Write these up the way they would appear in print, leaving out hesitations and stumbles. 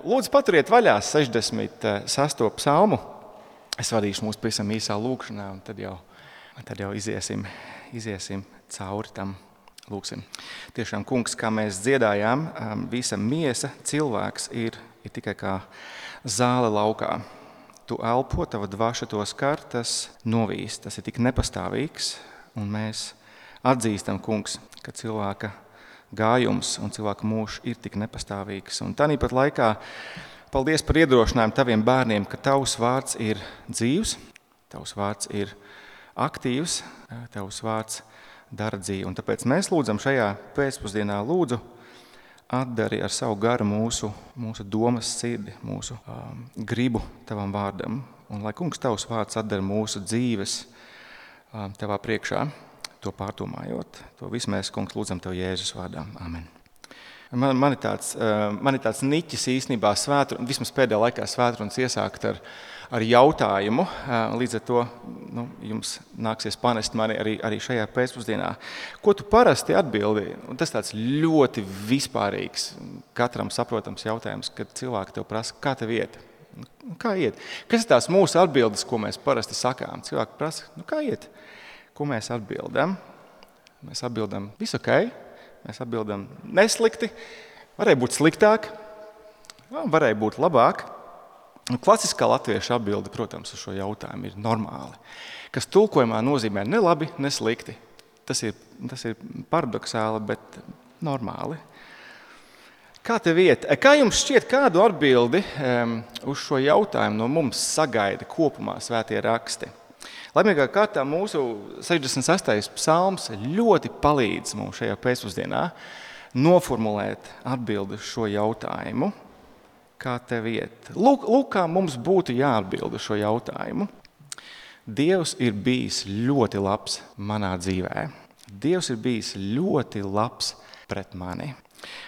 Lūdzu, paturiet vaļā 66. psalmu. Es vadīšu mūs pavisam īsā lūkšanā, un tad jau iziesim cauri tam. Lūksim. Tiešām, kungs, kā mēs dziedājām, visa miesa, cilvēks ir tikai kā zāle laukā. Tu elpo, tava dvaša to skar, tas novīst, tas ir tik nepastāvīgs, un mēs atzīstam, kungs, ka cilvēka gājums un cilvēka mūžs ir tik nepastāvīgs. Un tāpat laikā paldies par iedrošinājumu taviem bērniem, ka tavs vārds ir dzīvs, tavs vārds ir aktīvs, tavs vārds dara dzīvi. Un tāpēc mēs lūdzam šajā pēcpusdienā, lūdzu, atdari ar savu garu mūsu domas sirdi, mūsu gribu tavam vārdam. Un lai kungs tavs vārds atdara mūsu dzīves tavā priekšā, to pārdomājot. To visu mēs, kungs, lūdzam tev Jēzus vārdā. Amen. Man ir tāds niķis īstenībā vismaz pēdējā laikā svētrunas iesākt ar jautājumu. Līdz ar to jums nāksies panest mani arī šajā pēcpusdienā. Ko tu parasti atbildi? Un tas tāds ļoti vispārīgs, katram saprotams jautājums, kad cilvēki tev prasa, kā tev iet? Kā iet? Kas ir tās mūsu atbildes, ko mēs parasti sakām? Cilvēki prasa, kā iet? Ko mēs atbildam? Mēs atbildam, viss ok. Mēs atbildam, neslikti. Varēja būt sliktāk, varēja būt labāk. Klasiskā latviešu atbilde, protams, uz šo jautājumu ir normāli. Kas tulkojumā nozīmē ne labi, ne slikti. Tas ir paradoxāli, bet normāli. Kā tev iet? Kā jums šķiet, kādu atbildi uz šo jautājumu no mums sagaida kopumā svētie raksti? Laimīgā kārtā mūsu 66. psalms ļoti palīdz mums šajā pēcpusdienā noformulēt atbildi uz šo jautājumu. Kā tev iet? Lūk, kā mums būtu jāatbild uz šo jautājumu. Dievs ir bijis ļoti labs manā dzīvē. Dievs ir bijis ļoti labs pret mani.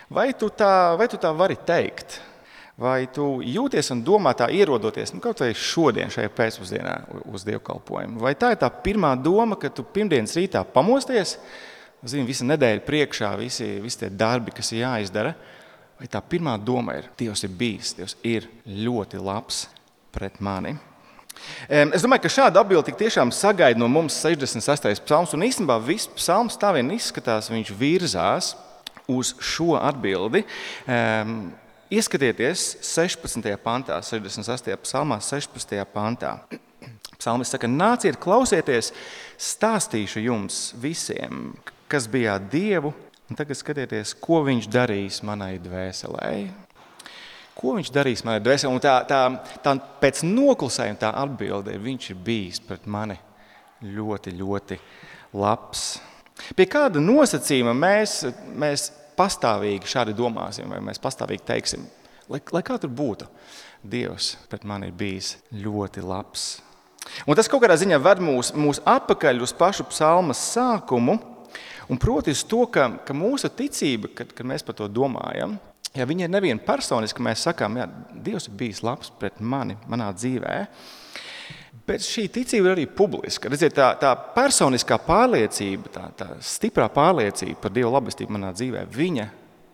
Vai tu tā vari teikt? Vai tu jūties un domā tā ierodoties, kaut vai šodien šajā pēcpusdienā uz dievkalpojumu? Vai tā ir tā pirmā doma, ka tu pirmdienas rītā pamosties, visa nedēļa priekšā, visi tie darbi, kas ir jāizdara, vai tā pirmā doma ir, Dievs ir bijis, Dievs ir ļoti labs pret mani? Es domāju, ka šāda atbilde tik tiešām sagaida no mums 68. psalms, un īstenībā viss psalms tā vien izskatās, viņš virzās uz šo atbildi. Ieskatieties 16. pantā, 68. psalmā, 16. pantā. Psalmis saka, nāciet, klausieties, stāstīšu jums visiem, kas bijāt Dievu, un tagad skatieties, ko viņš darīs manai dvēselē. Ko viņš darīs manai dvēselē? Un tā pēc noklusējuma tā atbilde ir, viņš ir bijis pret mani ļoti, ļoti labs. Pie kāda nosacījuma mēs pastāvīgi šādi domāsim, vai mēs pastāvīgi teiksim, lai kā tur būtu, Dievs pret mani ir bijis ļoti labs. Un tas kaut kādā ziņā ved mūs atpakaļ uz pašu psalmas sākumu, un proti uz to, ka mūsu ticība, kad mēs par to domājam, viņa ir nevien personiski, mēs sakām, Dievs ir bijis labs pret mani, manā dzīvē, bet šī ticība ir arī publiska. Redziet, tā personiskā pārliecība, tā stiprā pārliecība par Dieva labestību manā dzīvē, viņa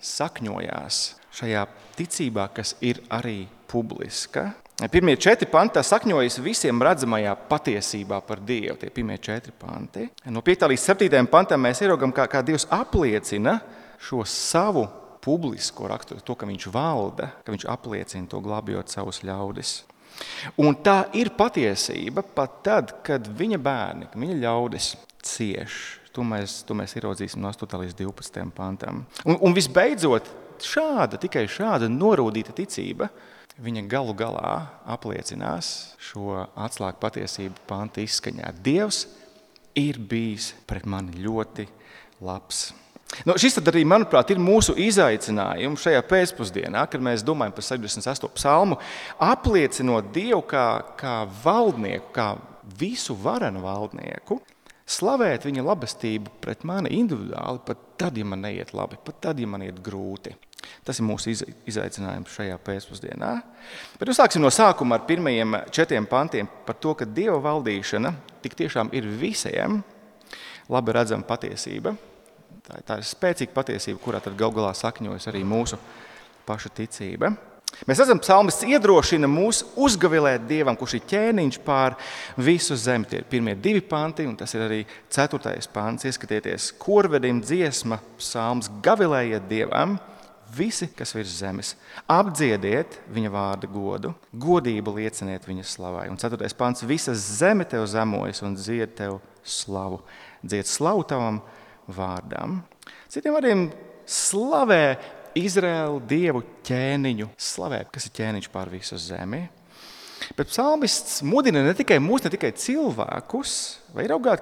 sakņojās šajā ticībā, kas ir arī publiska. Pirmie 4 panti sakņojas visiem redzamajā patiesībā par Dievu, tie pirmie 4 panti. No 5. līdz 7. pantam mēs ieraugam, kā Dievs apliecina šo savu publisko raksturu, to, ka viņš valda, ka viņš apliecina to glābjot savus ļaudis. Un tā ir patiesība pat tad, kad viņa bērni, viņa ļaudis cieš. To mēs ieraudzīsim no 8. līdz 12. pantam. Un visbeidzot, tikai šāda norūdīta ticība, viņa galu galā apliecinās šo atslēgu patiesību panta izskaņā. Dievs ir bijis pret mani ļoti labs. Šis tad arī, manuprāt, ir mūsu izaicinājums šajā pēcpusdienā, kad mēs domājam par 68. psalmu, apliecinot Dievu kā valdnieku, kā visu varenu valdnieku, slavēt viņa labestību pret mani individuāli, pat tad, ja man neiet labi, pat tad, ja man iet grūti. Tas ir mūsu izaicinājums šajā pēcpusdienā. Bet sāksim no sākuma ar pirmajiem 4 pantiem par to, ka Dieva valdīšana tik tiešām ir visiem labi redzama patiesība. Tā ir spēcīga patiesība, kurā tad galu galā sakņojas arī mūsu paša ticība. Mēs redzam, psalmists iedrošina mūs uzgavilēt Dievam, kurš ir ķēniņš pār visu zemi. Tie ir pirmie 2 panti, un tas ir arī 4. pants. Ieskatieties, korvedim dziesma, psalms, gavilējiet Dievam, visi, kas virs zemes. Apdziediet viņa vārda godu, godību lieciniet viņa slavai. Un 4. pants, visa zeme tev zemojas un dzied tev slavu. Dzied slavu tavam vārdam. Citiem vārdiem slavē Izraēlu Dievu ķēniņu, slavē, kas ir ķēniņš pār visu zemi. Bet psalmists mudina ne tikai mūs, ne tikai cilvēkus, vai raugāt,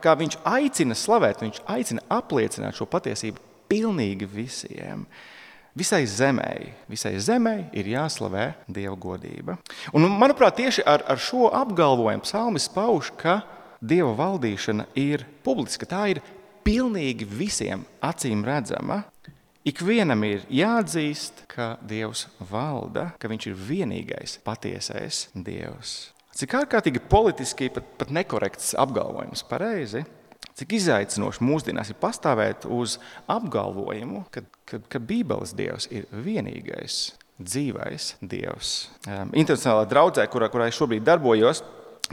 kā viņš aicina slavēt, viņš aicina apliecināt šo patiesību pilnīgi visiem. Visai zemei ir jāslavē Dieva godība. Un, manuprāt, tieši ar šo apgalvojumu psalmists pauž, ka Dieva valdīšana ir publiska, tā ir pilnīgi visiem acīm redzama. Ikvienam ir jāatzīst, ka Dievs valda, ka viņš ir vienīgais patiesais Dievs. Cik ārkārtīgi politiski pat nekorekts apgalvojums, pareizi? Cik izaicinoši mūsdienās ir pastāvēt uz apgalvojumu, ka Bībeles Dievs ir vienīgais dzīvais Dievs. Internacionālā draudzē, kurā es šobrīd darbojos,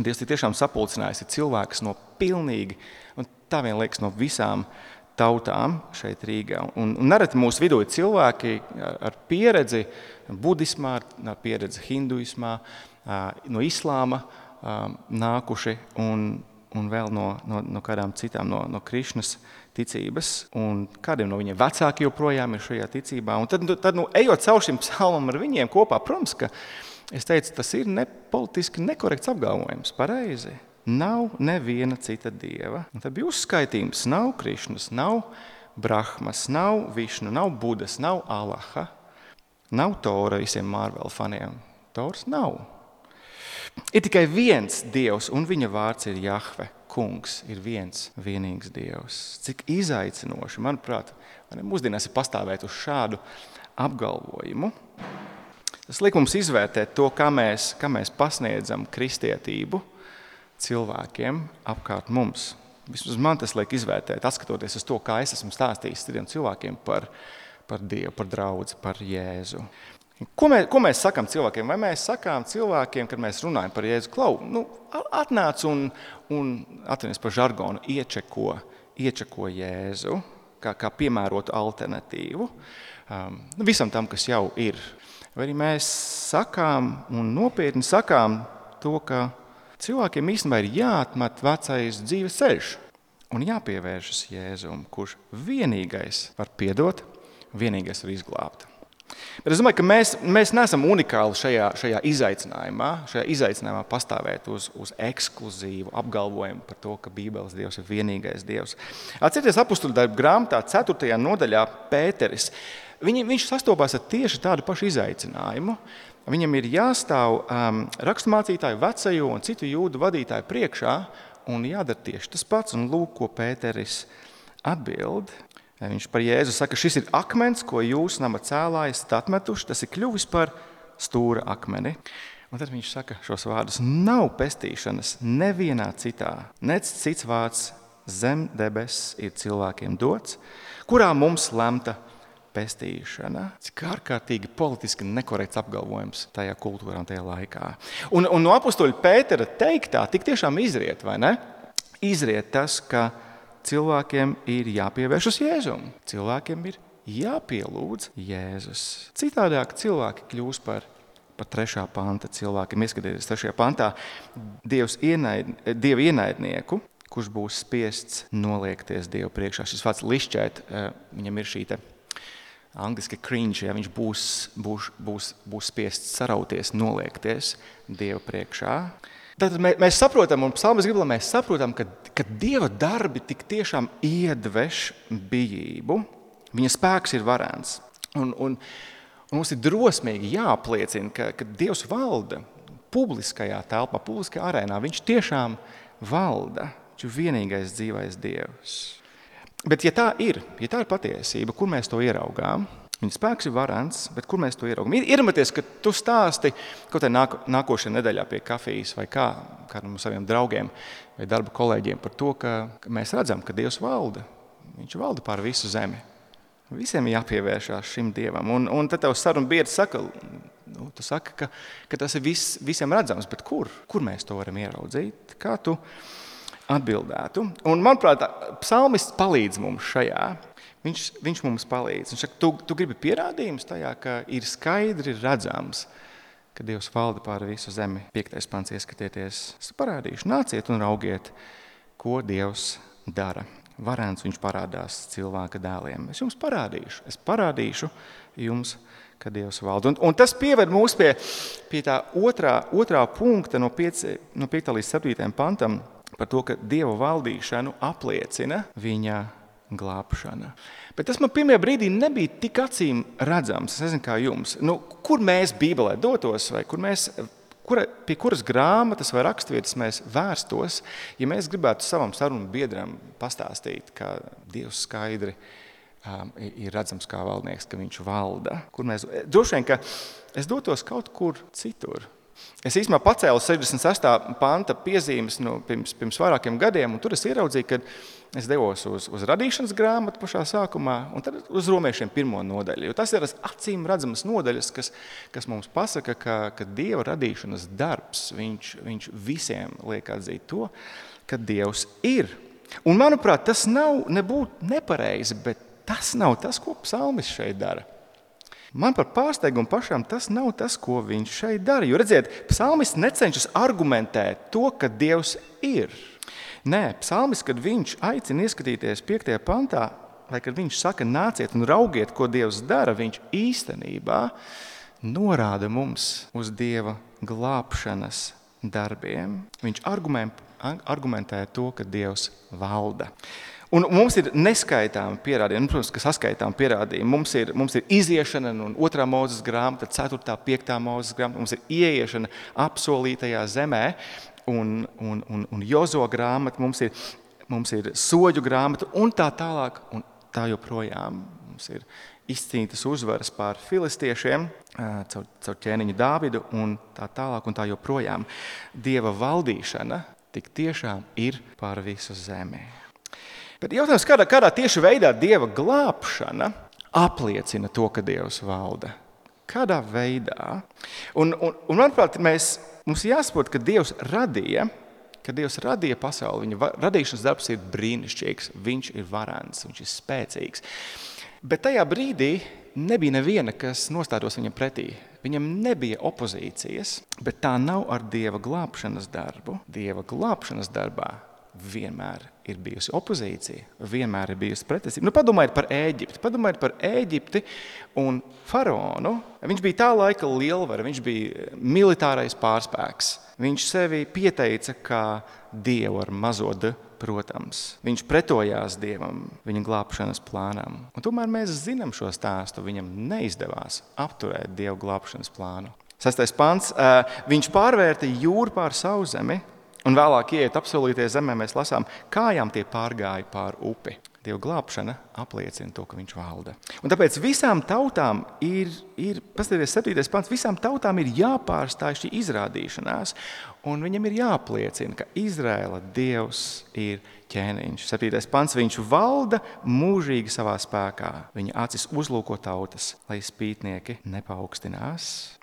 Dievs ir tiešām sapulcinājis cilvēkus no pilnīgi, un tā vien liekas no visām tautām šeit Rīgā. Un nereti mūsu vidū ir cilvēki ar pieredzi budismā, ar pieredzi hinduismā, no islāma nākuši un vēl no kādām citām, no Krišnas ticības. Un kādiem no viņiem vecāki joprojām ir šajā ticībā. Un tad ejot caur šim psalmam ar viņiem kopā, protams, ka es teicu, tas ir politiski nekorekts apgalvojums, pareizi. Nav neviena cita dieva. Un tad bija uzskaitījums, nav Krišnas, nav Brahmas, nav Višnu, nav Budas, nav Allaha, nav Tora visiem Marvel faniem. Tors nav. Ir tikai viens Dievs, un viņa vārds ir Jahve, kungs, ir viens vienīgs Dievs. Cik izaicinoši, manuprāt, mūsdienās ir pastāvēt uz šādu apgalvojumu. Tas liek mums izvērtēt to, kā mēs pasniedzam kristietību cilvēkiem apkārt mums. Vismaz man tas liek izvērtēt, atskatoties uz to, kā es esmu stāstījis citiem cilvēkiem par Dievu, par draudzi, par Jēzu. Ko mēs sakām cilvēkiem? Vai mēs sakām cilvēkiem, kad mēs runājam par Jēzu, klau, atnāc un atvainojies par žargonu, iečeko Jēzu, kā piemērotu alternatīvu visam tam, kas jau ir. Vai arī mēs sakām un nopietni sakām to, ka cilvēkiem īstenībā ir jāatmet vecais dzīves ceļš un jāpievēršas Jēzum, kurš vienīgais var piedot, vienīgais var izglābt. Bet es domāju, ka mēs neesam unikāli šajā izaicinājumā pastāvēt uz ekskluzīvu apgalvojumu par to, ka Bībeles Dievs ir vienīgais Dievs. Atcerieties apustuļu darbu grāmatā 4. nodaļā Pēteris. Viņš sastopās ar tieši tādu pašu izaicinājumu. Viņam ir jāstāv raksturmācītāju, vecajo un citu jūdu vadītāju priekšā un jādara tieši tas pats. Un lūk, ko Pēteris atbild. Viņš par Jēzu saka, šis ir akmens, ko jūs nama cēlāji esat atmetuši, tas ir kļuvis par stūra akmeni. Un tad viņš saka šos vārdus, nav pestīšanas nevienā citā, nec cits vārds zem debesis ir cilvēkiem dots, kurā mums lemta pestīšana. Cik ārkārtīgi politiski nekorekts apgalvojums tajā kultūrā un tajā laikā. Un no apustuļa Pētera teiktā tik tiešām izriet, vai ne? Izriet tas, ka cilvēkiem ir jāpievēršas Jēzum. Cilvēkiem ir jāpielūdz Jēzus. Citādāk cilvēki kļūs par 3. panta cilvēkiem. Ieskatieties 3. pantā Dieva ienaidnieku, kurš būs spiests noliekties Dievu priekšā. Šis vārds lišķēt, viņam ir šī angliski cringe, ja viņš būs spiests sarauties, noliekties Dievu priekšā. Tātad mēs saprotam, un psalmis grib, lai mēs saprotam, ka Dieva darbi tik tiešām iedveš bijību. Viņa spēks ir varens. Un mums ir drosmīgi jāapliecina, ka Dievs valda publiskajā telpā, publiskajā arēnā. Viņš tiešām valda. Viņš ir vienīgais dzīvais Dievs. Bet ja tā ir patiesība, kur mēs to ieraugām? Viņa spēks ir varens, bet kur mēs to ieraugam? Iedomājieties, ka tu stāsti kaut nākošajā nedēļā pie kafijas vai kādam no saviem draugiem vai darba kolēģiem par to, ka mēs redzam, ka Dievs valda. Viņš valda pār visu zemi. Visiem ir jāpievēršās šim Dievam. Un tad tavs sarunu biedrs saka, tu saki, ka tas ir visiem redzams, bet kur? Kur mēs to varam ieraudzīt? Kā tu atbildētu? Un, manuprāt, psalmists palīdz mums šajā. Viņš mums palīdz. Viņš saka, tu gribi pierādījumus tajā, ka ir skaidri redzams, ka Dievs valda pār visu zemi. 5. pants ieskatieties. Es parādīšu, nāciet un raugiet, ko Dievs dara. Varens viņš parādās cilvēka dēliem. Es jums parādīšu. Es parādīšu jums, ka Dievs valda. Un tas pieved mūs pie tā otrā punkta no 5. līdz 7. pantam par to, ka Dieva valdīšanu apliecina viņa glābšana. Bet tas man pirmajā brīdī nebija tik acīm redzams. Es nezinu, kā jums. Kur mēs Bībelē dotos vai pie kuras grāmatas vai raksturvietas mēs vērstos, ja mēs gribētu savam sarunu biedram pastāstīt, ka Dievs skaidri ir redzams kā valdnieks, ka viņš valda. Droši vien, ka es dotos kaut kur citur. Es īstenībā pacēlu 68. panta piezīmes pirms vairākiem gadiem, un tur es ieraudzīju, ka es devos uz radīšanas grāmatu pašā sākumā, un tad uz Romiešiem 1. nodaļu. Jo tas ir acīm redzamas nodaļas, kas mums pasaka, ka Dieva radīšanas darbs, viņš visiem liek atzīt to, ka Dievs ir. Un, manuprāt, tas nav nebūtu nepareizi, bet tas nav tas, ko psalmists šeit dara. Man par pārsteigumu pašam tas nav tas, ko viņš šeit dara. Jo, redziet, psalmists necenšas argumentēt to, ka Dievs ir. Nē, psalmists, kad viņš aicina ieskatīties 5. pantā, vai kad viņš saka, nāciet un raugiet, ko Dievs dara, viņš īstenībā norāda mums uz Dieva glābšanas darbiem. Viņš argumentē to, ka Dievs valda. Un mums ir neskaitāmi pierādījumi, protams, ka saskaitām pierādījumi. Mums ir iziešana un 2. Mūzes grāmata, 4. 5. Mūzes grāmata, mums ir ieiešana apsolītajā zemē un Jozo grāmata, mums ir soģu grāmata un tā tālāk un tā joprojām. Mums ir izcīnītas uzvaras pār filistiešiem caur ķēniņu Dāvidu un tā tālāk un tā joprojām. Dieva valdīšana tik tiešām ir pār visu zemi. Bet jautājums, kādā tieši veidā Dieva glābšana apliecina to, ka Dievs valda? Kādā veidā? Un manuprāt, mums jāsaprot, ka Dievs radīja pasauli. Viņa radīšanas darbs ir brīnišķīgs, viņš ir varens, viņš ir spēcīgs. Bet tajā brīdī nebija neviena, kas nostātos viņam pretī. Viņam nebija opozīcijas, bet tā nav ar Dieva glābšanas darbu. Dieva glābšanas darbā vienmēr ir bijusi opozīcija, vienmēr ir bijusi pretestība. Padomājiet par Ēģipti un faraonu. Viņš bija tā laika lielvara, viņš bija militārais pārspēks. Viņš sevi pieteica kā Dievu ar mazo D, protams. Viņš pretojās Dievam, viņa glābšanas plānam. Un tomēr mēs zinām šo stāstu, viņam neizdevās apturēt Dievu glābšanas plānu. 6. pants, viņš pārvērta jūru pār Sauszemi, un vēlāk ieiet apsolītajā zemē, mēs lasām, kājām tie pārgāja pār upi. Dieva glābšana apliecina to, ka viņš valda. Un tāpēc visām tautām paskatieties 7. pants, visām tautām ir jāpārstāj šī izrādīšanās, un viņam ir jāapliecina, ka Izraēla Dievs ir ķēniņš. 7. pants, viņš valda mūžīgi savā spēkā. Viņa acis uzlūko tautas, lai spītnieki nepaukstinās.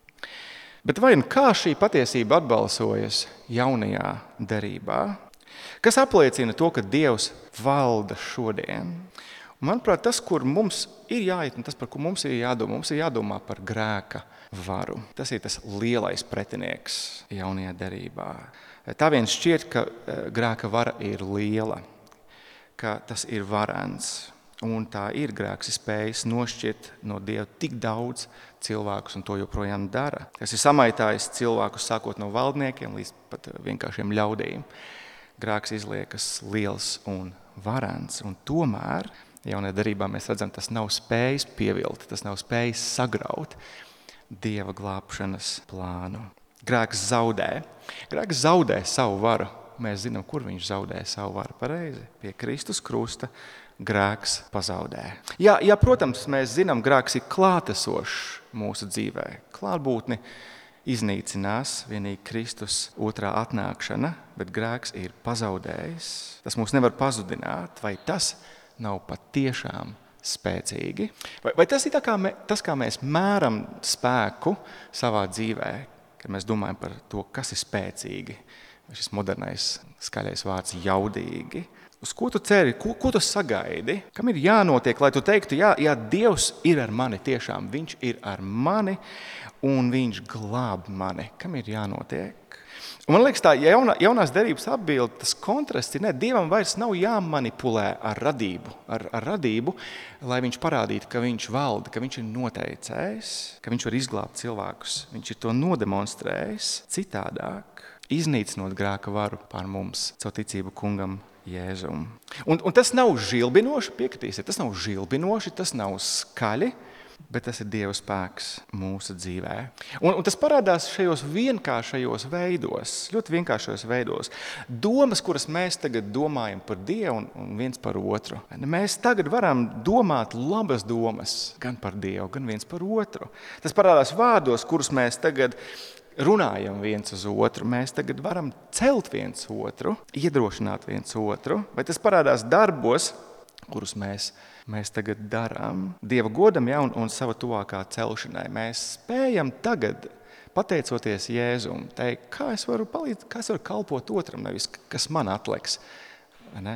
Bet vai un kā šī patiesība atbalsojas jaunajā derībā? Kas apliecina to, ka Dievs valda šodien? Un, manuprāt, tas, kur mums ir jāiet, un tas, par ko mums ir jādomā par grēka varu. Tas ir tas lielais pretinieks jaunajā derībā. Tā vien šķiet, ka grēka vara ir liela, ka tas ir varens. Un tā ir grēks, ir spējis nošķirt no Dieva tik daudz cilvēkus, un to joprojām dara. Tas ir samaitājis cilvēkus sākot no valdniekiem līdz pat vienkāršiem ļaudīm. Grēks izliekas liels un varens, un tomēr jaunajā derībā mēs redzam, tas nav spējis pievilt, tas nav spējis sagraut Dieva glābšanas plānu. Grēks zaudē savu varu. Mēs zinām, kur viņš zaudē savu varu pareizi. Pie Kristus krusta grēks pazaudē. Jā, protams, mēs zinām, grēks ir klātesošs mūsu dzīvē. Klātbūtni iznīcinās vienīgi Kristus otrā atnākšana, bet grēks ir pazaudējis. Tas mūs nevar pazudināt, vai tas nav patiešām spēcīgi? Vai tas ir tas, kā mēs mēram spēku savā dzīvē, kad mēs domājam par to, kas ir spēcīgi? Šis modernais skaļais vārds jaudīgi. Uz ko tu ceri? Ko tu sagaidi? Kam ir jānotiek, lai tu teiktu, jā, Dievs ir ar mani tiešām, viņš ir ar mani un viņš glāb mani. Kam ir jānotiek? Un man liekas, tā jaunās derības atbilde, tas kontrasts ir, Dievam vairs nav jāmanipulē ar radību, lai viņš parādītu, ka viņš valda, ka viņš ir noteicējis, ka viņš var izglābt cilvēkus. Viņš ir to nodemonstrējis citādāk, iznīcinot grēka varu pār mums, caur ticību kungam Jēzum. Un tas nav žilbinoši, piekritīsiet, tas nav žilbinoši, tas nav skaļi, bet tas ir Dieva spēks mūsu dzīvē. Un tas parādās šajos vienkāršajos veidos, ļoti vienkāršajos veidos. Domas, kuras mēs tagad domājam par Dievu un viens par otru. Mēs tagad varam domāt labas domas gan par Dievu, gan viens par otru. Tas parādās vārdos, kurus mēs tagad runājam viens uz otru, mēs tagad varam celt viens otru, iedrošināt viens otru, vai tas parādās darbos, kurus mēs tagad darām Dieva godam, un sava tuvākā celšanai. Mēs spējam tagad, pateicoties Jēzum, teikt, kā es varu palīdzēt, kā es varu kalpot otram, nevis kas man atliks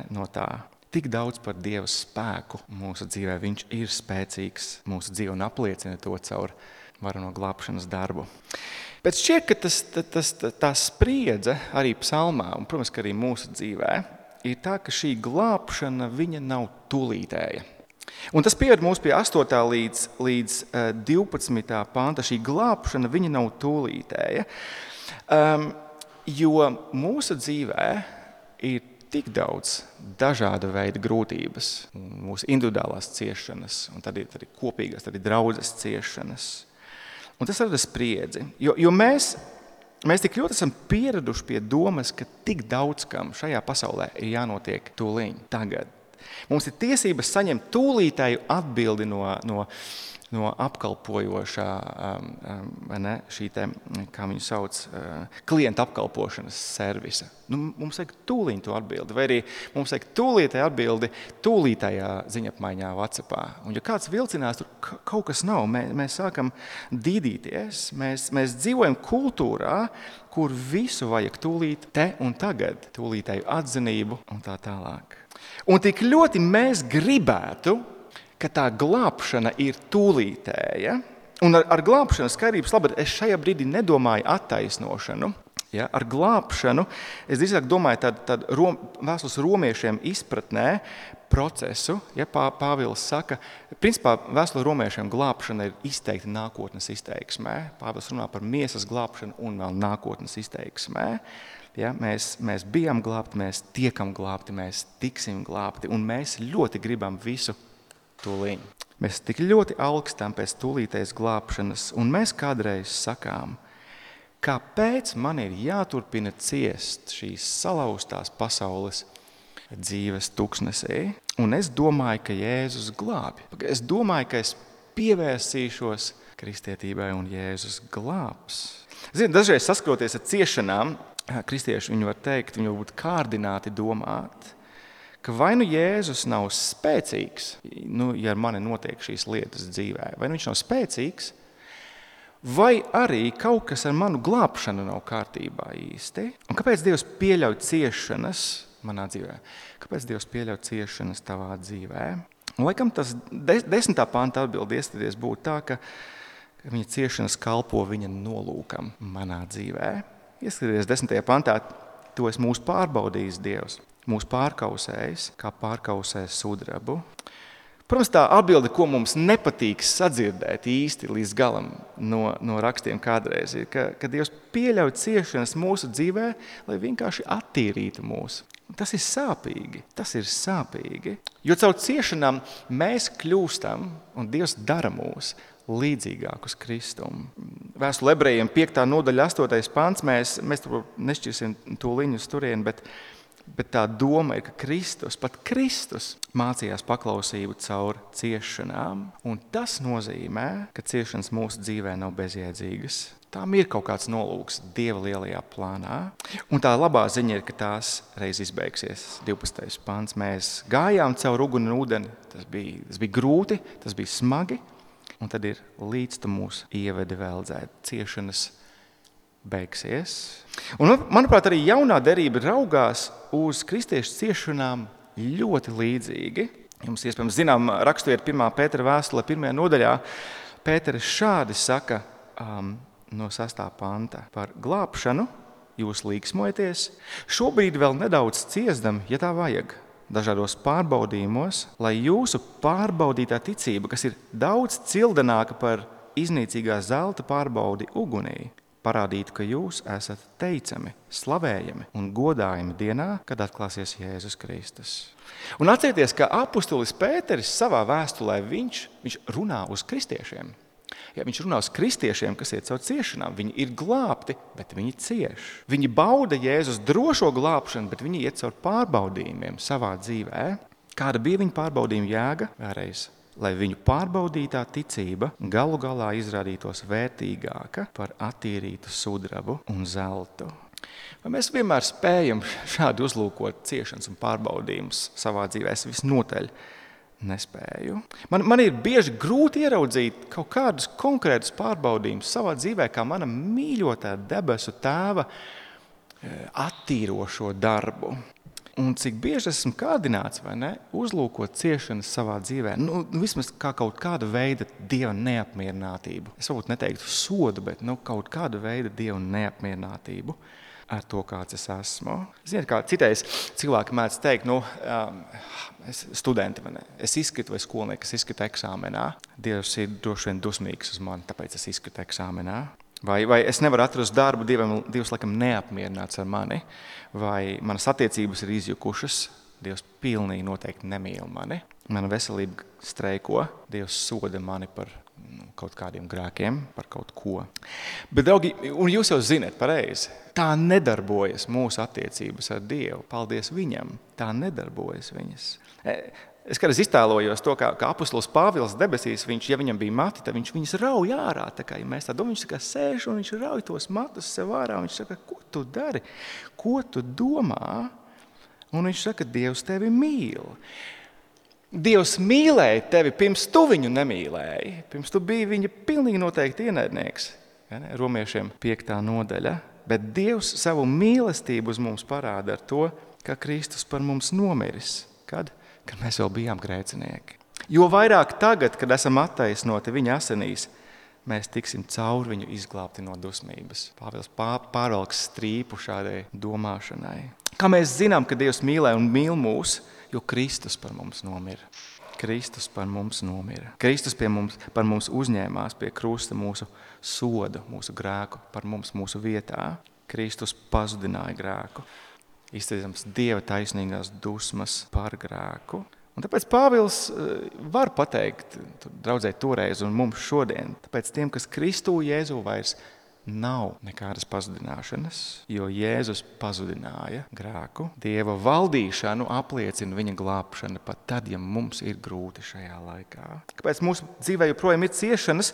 no tā. Tik daudz par Dieva spēku mūsu dzīvē, viņš ir spēcīgs mūsu dzīvē un apliecina to caur varano glābšanas darbu. Bet šķiet, ka tā spriedze arī psalmā, un, protams, ka arī mūsu dzīvē, ir tā, ka šī glābšana viņa nav tūlītēja. Un tas pieved mūs pie 8. līdz 12. panta. Šī glābšana viņa nav tūlītēja, jo mūsu dzīvē ir tik daudz dažāda veida grūtības, mūsu individuālās ciešanas, un tad ir kopīgās, tad ir draudzes ciešanas. Un tas rada spriedzi, jo mēs tik ļoti esam pieraduši pie domas, ka tik daudz kam šajā pasaulē ir jānotiek tūliņ, tagad. Mums ir tiesības saņemt tūlītēju atbildi no apkalpojošā, šī te, kā viņu sauc, klienta apkalpošanas servisa. Mums vajag tūlīt to atbildi, vai arī mums vajag tūlītēju atbildi tūlītējā ziņapmaiņā WhatsAppā. Un ja kāds vilcinās, tur kaut kas nav, mēs sākam dīdīties, mēs dzīvojam kultūrā, kur visu vajag tūlīt te un tagad, tūlītēju atzinību un tā tālāk. Un tik ļoti mēs gribētu, ka tā glābšana ir tūlītēja, un ar glābšanas skaidrības labad es šajā brīdī nedomāju attaisnošanu. Ja, ar glābšanu es drīzāk domāju tādu vēstules romiešiem izpratnē procesu. Ja, Pāvils saka, principā vēstule romiešiem glābšana ir izteikta nākotnes izteiksmē. Pāvils runā par miesas glābšanu un vēl nākotnes izteiksmē. Ja, mēs bijām glābti, mēs tiekam glābti, mēs tiksim glābti, un mēs ļoti gribam visu tūlīt. Mēs tik ļoti augstam pēc tūlītējas glābšanas, un mēs kādreiz sakām, kāpēc man ir jāturpina ciest šīs salauztās pasaules dzīves tuksnesī. Un es domāju, ka Jēzus glābi. Es domāju, ka es pievērsīšos kristietībai un Jēzus glābs. Ziniet, dažreiz saskroties ar ciešanām, kristieši viņi var teikt, viņi var būt kārdināti domāt, ka vai nu Jēzus nav spēcīgs, ja ar mani notiek šīs lietas dzīvē, vai nu viņš nav spēcīgs, vai arī kaut kas ar manu glābšanu nav kārtībā īsti. Un kāpēc Dievs pieļauj ciešanas manā dzīvē? Kāpēc Dievs pieļauj ciešanas tavā dzīvē? Un, laikam tas 10. panta atbildi iestāties būtu tā, ka viņa ciešanas kalpo viņa nolūkam manā dzīvē. Ieskaties 10. pantā, to es mūs pārbaudījis Dievs. Mūs pārkausējis, kā pārkausēs sudrabu. Protams, tā atbilde, ko mums nepatīk sadzirdēt īsti līdz galam no rakstiem kādreiz, ir, ka Dievs pieļauj ciešanas mūsu dzīvē, lai vienkārši attīrītu mūs. Tas ir sāpīgi. Jo caur ciešanām mēs kļūstam, un Dievs dara mūs līdzīgākus Kristum. Vēstule Ebrejiem 5. nodaļa 8. pants, mēs nešķirsim tūliņu uz turieni, bet Bet tā doma ir, ka pat Kristus mācījās paklausību caur ciešanām, un tas nozīmē, ka ciešanas mūsu dzīvē nav bezjēdzīgas. Tām ir kaut kāds nolūks Dieva lielajā plānā, un tā labā ziņa ir, ka tās reiz izbeigsies. 12. pants. Mēs gājām caur uguni un ūdeni, tas bija grūti, tas bija smagi, un tad ir līdz tu mūs ievedi veldzēt. Ciešanas beigsies. Un, manuprāt, arī jaunā derība raugās uz kristiešu ciešanām ļoti līdzīgi. Jums iespējams zinām raksturvieta 1. Pētera vēstulē 1. nodaļā. Pēteris šādi saka no 6. panta: par glābšanu jūs līksmojaties, šobrīd vēl nedaudz ciesdam, ja tā vajag, dažādos pārbaudījumos, lai jūsu pārbaudītā ticība, kas ir daudz cildenāka par iznīcīgā zelta pārbaudi ugunī, parādītu, ka jūs esat teicami, slavējami un godājami dienā, kad atklāsies Jēzus Kristus. Un atcerieties, ka apustulis Pēteris savā vēstulē viņš runā uz kristiešiem. Ja viņš runā uz kristiešiem, kas iet caur ciešanām. Viņi ir glābti, bet viņi cieš. Viņi bauda Jēzus drošo glābšanu, bet viņi iet caur pārbaudījumiem savā dzīvē. Kāda bija viņa pārbaudījuma jēga? Vēlreiz, lai viņu pārbaudītā ticība galu galā izrādītos vērtīgāka par attīrītu sudrabu un zeltu. Vai mēs vienmēr spējam šādi uzlūkot ciešanas un pārbaudījumus savā dzīvē? Es visnotaļ nespēju. Man ir bieži grūti ieraudzīt kaut kādus konkrētus pārbaudījumus savā dzīvē, kā mana mīļotā debesu tēva attīrošo darbu. Un cik bieži esmu kādināts, vai ne, uzlūkot ciešanas savā dzīvē, vismaz kā kaut kāda veida Dieva neapmierinātību. Es varbūt neteiktu sodu, bet kaut kāda veida Dieva neapmierinātību ar to, kāds es esmu. Ziniet, kā citreiz cilvēki mēdz teikt, studenti, es izskritu vai skolnieki, kas izskritu eksāmenā. Dievs ir droši vien dusmīgs uz mani, tāpēc es izskritu eksāmenā. Vai es nevaru atrast darbu, Dievs laikam neapmierināts ar mani, vai manas attiecības ir izjukušas, Dievs pilnīgi noteikti nemīl mani. Mana veselība streiko, Dievs soda mani par kaut kādiem grēkiem, par kaut ko. Bet, draugi, un jūs jau zināt pareizi, tā nedarbojas mūsu attiecības ar Dievu. Paldies viņam, tā nedarbojas viņas. Es kādreiz iztēlojos to, kā apustulis Pāvils debesīs, ja viņam bija mati, tad viņš viņus rauj ārā. Tā kā, ja mēs tā domājam, viņš sēž un viņš rauj tos matus sev ārā. Viņš saka, ko tu dari? Ko tu domā? Un viņš saka, Dievs tevi mīl. Dievs mīlēja tevi pirms tu viņu nemīlēji. Pirms tu biji viņa pilnīgi noteikti ienaidnieks. Romiešiem 5. nodaļa. Bet Dievs savu mīlestību uz mums parāda ar to, ka Kristus par mums nomiris. Kad mēs vēl bijām grēcinieki. Jo vairāk tagad, kad esam attaisnoti viņa asinīs, mēs tiksim caur viņu izglābti no dusmības. Pāvils pārvalks strīpu šādai domāšanai. Kā mēs zinām, ka Dievs mīlē un mīl mūs, jo Kristus par mums nomira. Kristus par mums nomira. Kristus par mums uzņēmās pie krusta mūsu sodu, mūsu grēku, par mums mūsu vietā. Kristus pazudināja grēku. Izteicams Dieva taisnīgās dusmas par grēku. Un tāpēc Pāvils var pateikt, draudzē toreiz un mums šodien, tāpēc tiem, kas Kristū Jēzu vairs nav nekādas pazudināšanas, jo Jēzus pazudināja grēku. Dieva valdīšanu apliecina viņa glābšana pat tad, ja mums ir grūti šajā laikā. Kāpēc mūsu dzīvē joprojām ir ciešanas?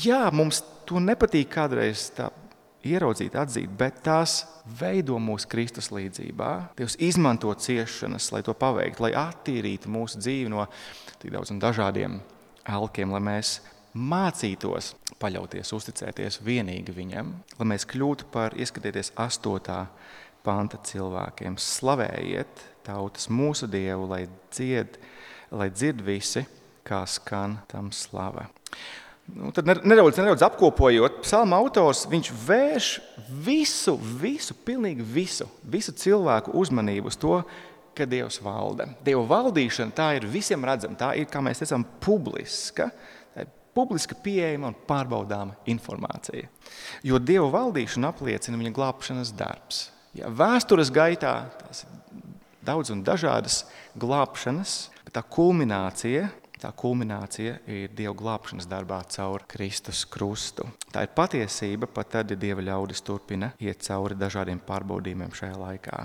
Jā, mums to nepatīk kādreiz tā ieraudzīt, atzīt, bet tās veido mūsu Kristus līdzībā. Dievs izmanto ciešanas, lai to paveiktu, lai attīrītu mūsu dzīvi no tik daudz un dažādiem elkiem, lai mēs mācītos paļauties, uzticēties vienīgi viņam, lai mēs kļūtu par, ieskatieties 8. panta cilvēkiem. Slavējiet tautas mūsu Dievu, lai dzird visi, kā skan tam slava. Tad nedaudz apkopojot, psalma autors, viņš vērš pilnīgi visu cilvēku uzmanību uz to, ka Dievs valda. Dieva valdīšana, tā ir visiem redzama, tā ir, kā mēs teicām, publiska pieejama un pārbaudāma informācija. Jo Dieva valdīšana apliecina viņa glābšanas darbs. Ja vēstures gaitā tās ir daudz un dažādas glābšanas, bet tā kulminācija ir Dieva glābšanas darbā caur Kristus krustu. Tā ir patiesība, pat tad, ja Dieva ļaudis turpina iet cauri dažādiem pārbaudījumiem šajā laikā.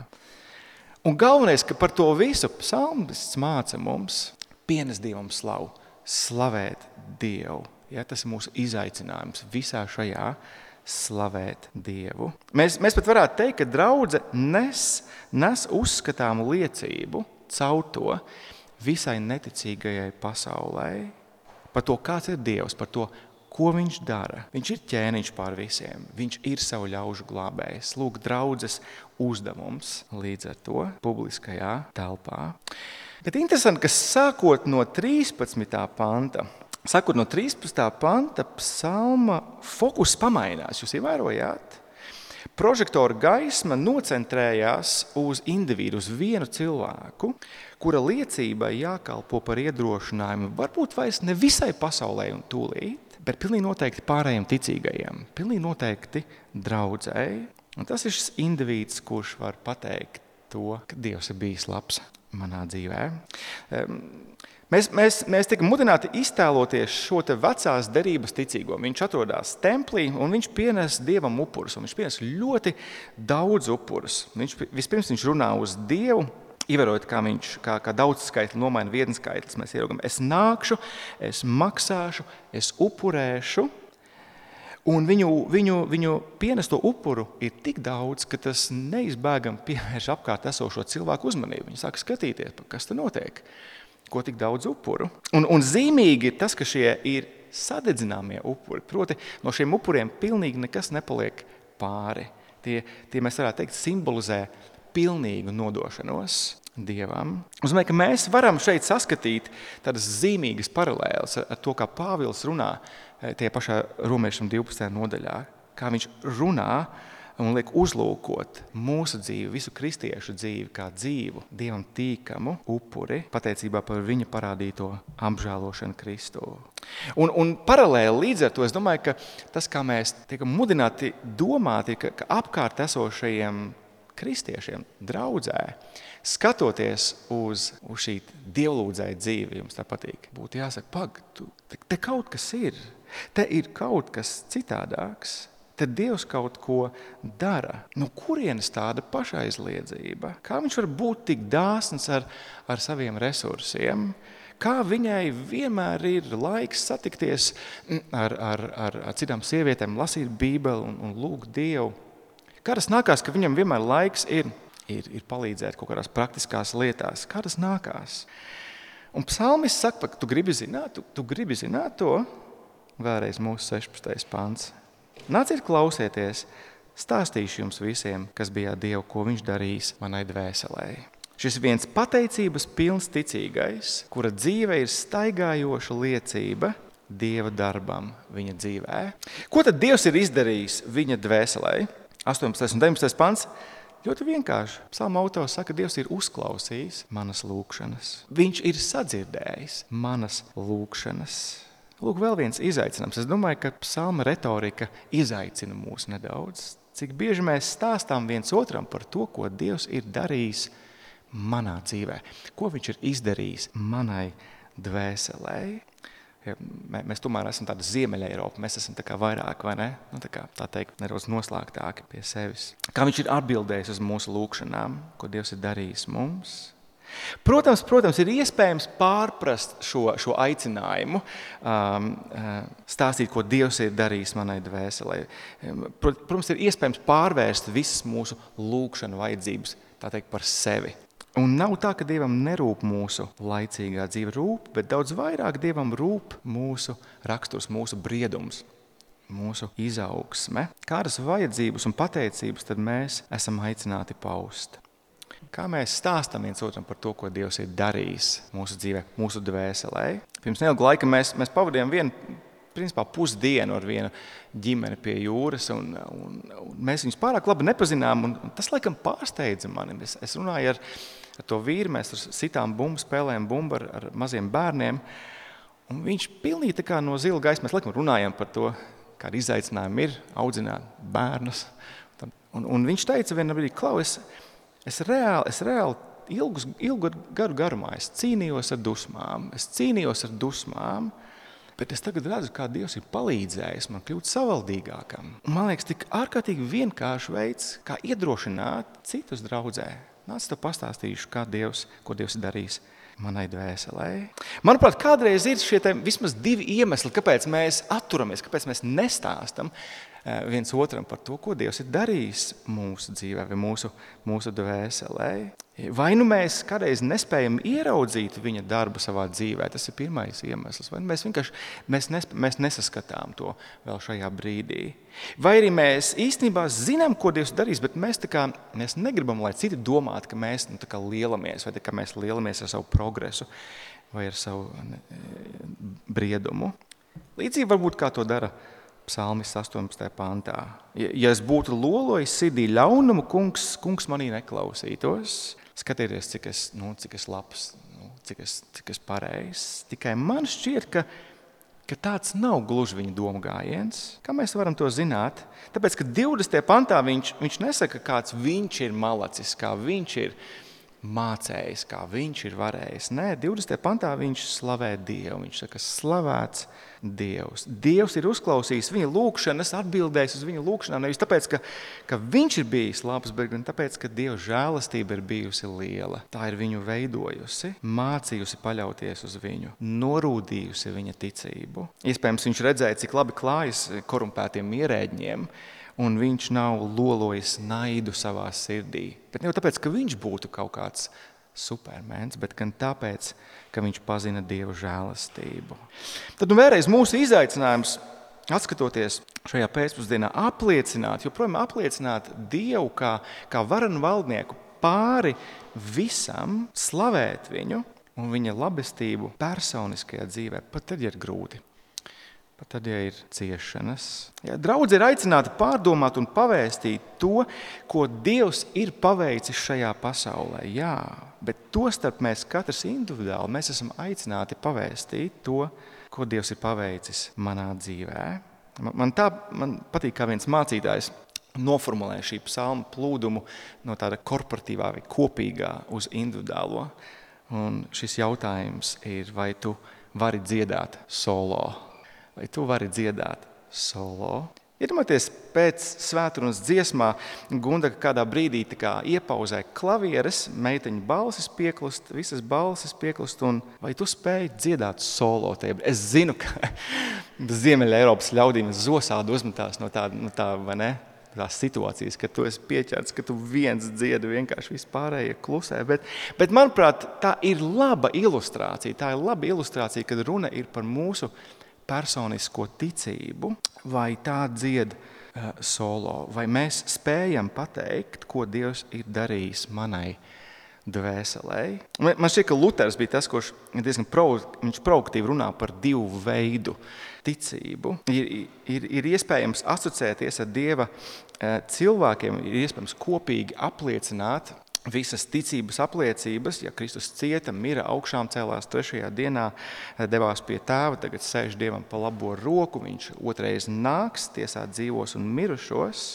Un galvenais, ka par to visu psalmists māca mums pienest Dievam slavu, slavēt Dievu. Ja, tas ir mūsu izaicinājums visā šajā slavēt Dievu. Mēs pat varētu teikt, ka draudze nes uzskatāmu liecību caur to visai neticīgajai pasaulē. Par to, kāds ir Dievs, par to, ko viņš dara. Viņš ir ķēniņš pār visiem, viņš ir savu ļaužu glābējs. Lūk, draudzes uzdevums līdz ar to publiskajā telpā. Bet interesanti, ka sākot no 13. panta, psalma fokus pamainās. Jūs ievērojāt? Prožektora gaisma nocentrējās uz individu, uz vienu cilvēku, kura liecībai jākalpo par iedrošinājumu varbūt vairs ne visai pasaulē un tūlīt, bet pilnīgi noteikti pārējiem ticīgajiem, pilnīgi noteikti draudzēji. Un tas ir šis individs, kurš var pateikt to, ka Dievs ir bijis labs manā dzīvē. Mēs tikam mudināti iztēloties šo te vecās derības ticīgo. Viņš atrodas templī un viņš pienes Dievam upurus. Viņš pienes ļoti daudz upurus. Vispirms viņš runā uz Dievu, ievērojot, kā viņš kā daudz skaitli nomaina viens skaitlis. Mēs ieraugam, es nākšu, es maksāšu, es upurēšu. Un viņu pienesto upuru ir tik daudz, ka tas neizbēgami pievērš apkārt esošo cilvēku uzmanību. Viņi sāk skatīties, kas te notiek. Ko tik daudz upuru. Un zīmīgi ir tas, ka šie ir sadedzināmie upuri. Proti, no šiem upuriem pilnīgi nekas nepaliek pāri. Tie mēs varētu teikt, simbolizē pilnīgu nodošanos Dievam. Es domāju, ka mēs varam šeit saskatīt tādas zīmīgas paralēles ar to, kā Pāvils runā tie pašā Romiešiem 12. nodaļā. Kā viņš runā un liek uzlūkot mūsu dzīvi, visu kristiešu dzīvi, kā dzīvu, Dievam tīkamu upuri, pateicībā par viņa parādīto apžēlošanu Kristu. Un paralēli līdz ar to, es domāju, ka tas, kā mēs tiekam mudināti domāt, ir, ka apkārt esošajiem kristiešiem draudzē, skatoties uz šī dievlūdzēja dzīvi, jums tā patīk, būtu jāsaka, te kaut kas ir, te ir kaut kas citādāks. Tad Dievs kaut ko dara. No kurienes tāda pašaizliedzība? Kā viņš var būt tik dāsns ar saviem resursiem? Kā viņai vienmēr ir laiks satikties ar citām sievietēm, lasīt Bībeli un lūgt Dievu? Kā tas nākās, ka viņam vienmēr laiks ir palīdzēt kaut kādās praktiskās lietās? Kā tas nākās? Un psalmists saka, ka tu gribi zināt to? Vēlreiz mūsu 16. pants. Nāciet klausieties, stāstīšu jums visiem, kas bija Dievu, ko viņš darīs manai dvēselē. Šis viens pateicības pilns ticīgais, kura dzīve ir staigājoša liecība Dieva darbam viņa dzīvē. Ko tad Dievs ir izdarījis viņa dvēselē? 18. un 19. pants. Ļoti vienkārši. Psalma autors saka, ka Dievs ir uzklausījis manas lūgšanas. Viņš ir sadzirdējis manas lūgšanas. Lūk, vēl viens izaicinājums. Es domāju, ka psalma retorika izaicina mūs nedaudz. Cik bieži mēs stāstām viens otram par to, ko Dievs ir darījis manā dzīvē. Ko viņš ir izdarījis manai dvēselē. Ja, mēs tomēr esam tāda Ziemeļa Eiropa. Mēs esam tā kā vairāk, vai ne? Tā teikt, nedaudz noslēgtāki pie sevis. Kā viņš ir atbildējis uz mūsu lūgšanām, ko Dievs ir darījis mums. Protams, ir iespējams pārprast šo aicinājumu, stāstīt, ko Dievs ir darījis manai dvēselē. Protams, ir iespējams pārvērst visas mūsu lūgšanu vajadzības, tā teikt, par sevi. Un nav tā, ka Dievam nerūp mūsu laicīgā dzīve rūp, bet daudz vairāk Dievam rūp mūsu raksturs, mūsu briedums, mūsu izaugsme. Kādas vajadzības un pateicības tad mēs esam aicināti paust? Kā mēs stāstam viens otram par to, ko Dievs ir darījis mūsu dzīvē, mūsu dvēselē. Pirms neilga laika mēs pavadījām pusdienu ar vienu ģimeni pie jūras, un mēs viņus pārāk labi nepazinām, un tas laikam pārsteidza mani. Es runāju ar to vīru, mēs sitām bumbu, spēlējam bumbu ar maziem bērniem, un viņš pilnīgi tā kā no zila gaisa, mēs laikam runājam par to, kāda izaicinājuma ir audzināt bērnus. Un viņš teica vienā brīdī, Klau, Es reāli ilgu gadu garumā es cīnījos ar dusmām, bet es tagad redzu, kā Dievs ir palīdzējis man kļūt savaldīgākam. Man liekas, tik ārkārtīgi vienkārši veids, kā iedrošināt citus draudzē. Nāc, tev pastāstīšu, ko Dievs ir darījis manai dvēselē. Manuprāt, kādreiz ir šie vismaz 2 iemesli, kāpēc mēs atturamies, kāpēc mēs nestāstam viens otram par to, ko Dievs ir darījis mūsu dzīvē vai mūsu dvēselē. Vai nu mēs kādreiz nespējam ieraudzīt viņa darbu savā dzīvē, tas ir pirmais iemesls, vai mēs vienkārši mēs nesaskatām to vēl šajā brīdī. Vai arī mēs īstenībā zinām, ko Dievs darīs, bet mēs negribam, lai citi domātu, ka mēs lielamies, vai ka mēs lielamies ar savu progresu vai ar savu briedumu. Līdzīgi varbūt kā to dara Psalmis 18. pantā. Ja es būtu lolojis sirdī ļaunumu, kungs manī neklausītos. Skatieties, cik es labs, cik es pareizs. Tikai man šķiet, ka tāds nav gluži viņa domu gājiens. Kā mēs varam to zināt? Tāpēc, ka 20. pantā viņš nesaka, kāds viņš ir malacis, kā viņš ir mācējis, kā viņš ir varējis. Nē, 20. pantā viņš slavē Dievu. Viņš saka, slavēts Dievs. Dievs ir uzklausījis viņa lūgšanas, atbildējis uz viņa lūgšanām, nevis tāpēc, ka viņš ir bijis labs, bet gan tāpēc, ka Dieva žēlastība ir bijusi liela. Tā ir viņu veidojusi, mācījusi paļauties uz viņu, norūdījusi viņa ticību. Iespējams, viņš redzēja, cik labi klājas korumpētiem ierēģiem, un viņš nav lolojis naidu savā sirdī. Bet ne jau tāpēc, ka viņš būtu kaut kāds supermens, bet gan tāpēc, ka viņš pazina Dieva žēlastību. Tad vēlreiz mūsu izaicinājums, atskatoties šajā pēcpusdienā, joprojām apliecināt Dievu kā varenu valdnieku pāri visam, slavēt viņu un viņa labestību personiskajā dzīvē, pat tad, ja ir grūti. Pat tad, ja ir ciešanas. Draudze ir aicināta pārdomāt un pavēstīt to, ko Dievs ir paveicis šajā pasaulē. Jā, bet tostarp mēs katrs individuāli, mēs esam aicināti pavēstīt to, ko Dievs ir paveicis manā dzīvē. Man patīk, kā viens mācītājs noformulē šī psalma plūdumu no tāda korporatīvā vai kopīgā uz individuālo. Un šis jautājums ir, vai tu vari dziedāt solo? Vai tu vari dziedāt solo? Iedomājieties, pēc svētrunas dziesmā Gunda kādā brīdī iepauzē klavieres, meiteņu balsis pieklust, visas balsis pieklust, un vai tu spēji dziedāt solo? Es zinu, ka Ziemeļa Eiropas ļaudīm zosādi uzmetās no tā, vai ne? Tās situācijas, ka tu esi pieķerts, ka tu viens dziedi, vienkārši vispārējie klusē. Bet manuprāt, tā ir laba ilustrācija. Tā ir laba ilustrācija, kad runa ir par mūsu personisko ticību, vai tā dzied solo, vai mēs spējam pateikt, ko Dievs ir darījis manai dvēselē. Man šķiet, ka Luters bija tas, kurš diezgan provokatīvi runā par 2 veidu ticību. Ir iespējams asociēties ar Dieva cilvēkiem, ir iespējams kopīgi apliecināt visas ticības apliecības, ja Kristus cieta, mira, augšām cēlās 3. dienā, devās pie Tēva, tagad sēž Dievam pa labo roku, viņš otrais nāks, tiesāt dzīvos un mirušos,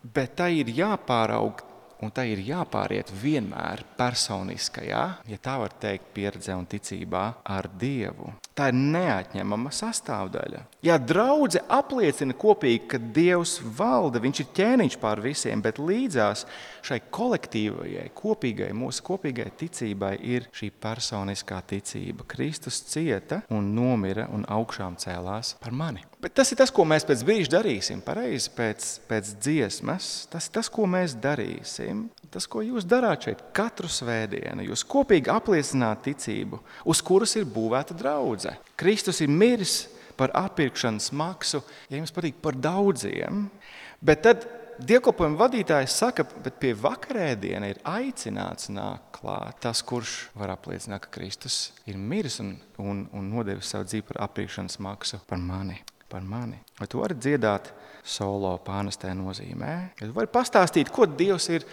bet tā ir jāpāraug un tā ir jāpāriet vienmēr personiskajā, ja tā var teikt, pieredzē un ticībā ar Dievu. Tā ir neatņemama sastāvdaļa. Ja draudze apliecina kopīgi, ka Dievs valda, viņš ir ķēniņš pār visiem, bet līdzās šai kolektīvajai, kopīgai, mūsu kopīgai ticībai ir šī personiskā ticība. Kristus cieta un nomira un augšām cēlās par mani. Bet tas ir tas, ko mēs pēc brīža darīsim, pareizi pēc dziesmas. Tas ir tas, ko mēs darīsim. Tas, ko jūs darāt šeit katru svētdienu. Jūs kopīgi apliecināt ticību, uz kuras ir būvēta draudze. Kristus ir miris par atpirkšanas maksu, ja jums patīk, par daudziem. Bet tad dievkalpojuma vadītājs saka, bet pie vakarēdiena ir aicināts nākt klāt tas, kurš var apliecināt, ka Kristus ir miris un nodevis savu dzīvi par atpirkšanas maksu par mani. Vai tu vari dziedāt solo pānestē nozīmē? Vai tu vari pastāstīt, ko Dievs ir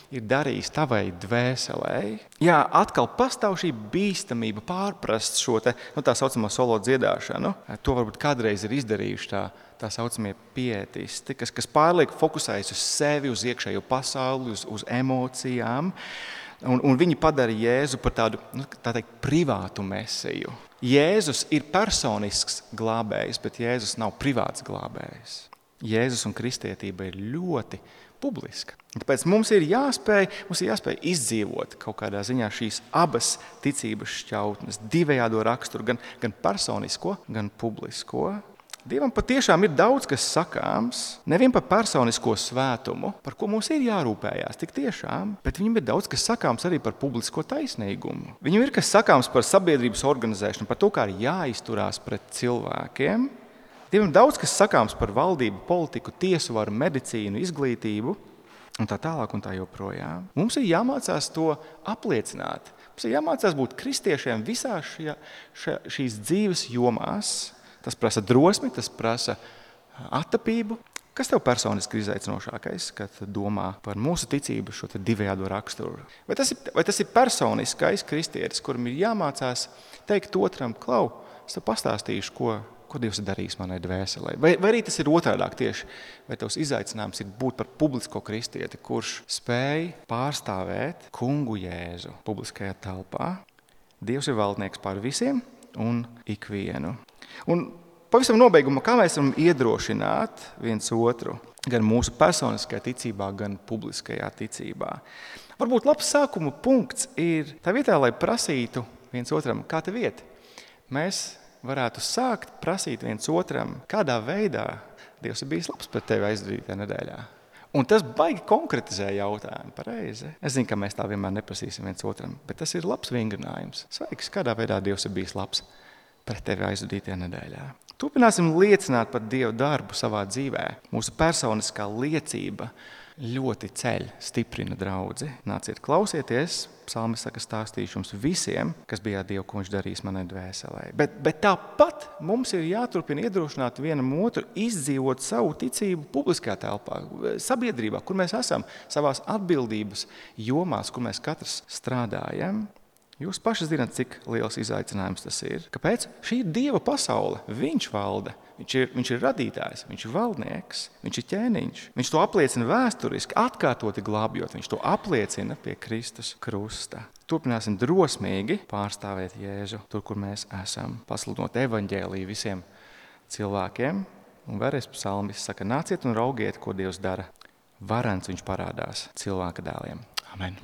darījis tavai dvēselē? Jā, atkal pastāv šī bīstamība pārprast šo tā saucamo solo dziedāšanu. To varbūt kādreiz ir izdarījuši tā saucamie pietisti, kas pārlieku fokusējas uz sevi, uz iekšējo pasauli, uz emocijām. Un viņi padara Jēzu par tādu, tā teikt, privātu mesiju. Jēzus ir personisks glābējs, bet Jēzus nav privāts glābējs. Jēzus un kristietība ir ļoti publiska. Tāpēc mums ir jāspēj izdzīvot kaut kādā ziņā šīs abas ticības šķautnes, divējādo raksturu, gan personisko, gan publisko. Dievam patiešām ir daudz, kas sakāms, nevien par personisko svētumu, par ko mums ir jārūpējās, tik tiešām, bet viņam ir daudz, kas sakāms arī par publisko taisnīgumu. Viņam ir kas sakāms par sabiedrības organizēšanu, par to, kā ir jāizturās pret cilvēkiem. Dievam ir daudz, kas sakāms par valdību, politiku, tiesu varu, medicīnu, izglītību un tā tālāk un tā joprojām. Mums ir jāmācās to apliecināt. Mums ir jāmācās būt kristiešiem visās šīs dzīves jomās. Tas prasa drosmi, tas prasa attapību. Kas tev personiski ir izaicinošākais, kad domā par mūsu ticību šo divējādo raksturu? Vai tas ir personiskais kristietis, kuram ir jāmācās teikt otram, klau, es tev pastāstīšu, ko Dievs ir darījis manai dvēselē? Vai arī tas ir otrādāk tieši? Vai tavs izaicinājums ir būt par publisko kristieti, kurš spēj pārstāvēt kungu Jēzu publiskajā telpā? Dievs ir valdnieks pār visiem un ikvienu. Un pavisam nobeigumā, kā mēs varam iedrošināt viens otru, gan mūsu personiskajā ticībā, gan publiskajā ticībā. Varbūt labs sākuma punkts ir tā vietā, lai prasītu viens otram, kā tev iet. Mēs varētu sākt prasīt viens otram, kādā veidā Dievs ir bijis labs pret tevi aizvadītajā nedēļā. Un tas baigi konkretizē jautājumu, pareizi. Es zinu, ka mēs tā vienmēr neprasīsim viens otram, bet tas ir labs vingrinājums. Sveiks, kādā veidā Dievs ir bijis labs pret tevi aizvadītajā nedēļā. Turpināsim liecināt par Dieva darbu savā dzīvē. Mūsu personiskā liecība ļoti ceļ, stiprina draudzi. Nāciet, klausieties, psalmis saka, stāstīšu jums visiem, kas bija Dievu, ko viņš darīs manai dvēselē. Bet tāpat mums ir jāturpina iedrošināt vienam otru izdzīvot savu ticību publiskajā telpā, sabiedrībā, kur mēs esam, savās atbildības jomās, kur mēs katrs strādājam. Jūs paši zināt, cik liels izaicinājums tas ir. Kāpēc? Šī ir Dieva pasaule. Viņš valda. Viņš ir radītājs, viņš ir valdnieks, viņš ir ķēniņš. Viņš to apliecina vēsturiski, atkārtoti glābjot. Viņš to apliecina pie Kristus krusta. Turpināsim drosmīgi pārstāvēt Jēzu tur, kur mēs esam. Pasludinot evaņģēliju visiem cilvēkiem. Un vēlreiz psalmis saka, nāciet un raugiet, ko Dievs dara. Varens viņš parādās cilvēka dēliem. Amen.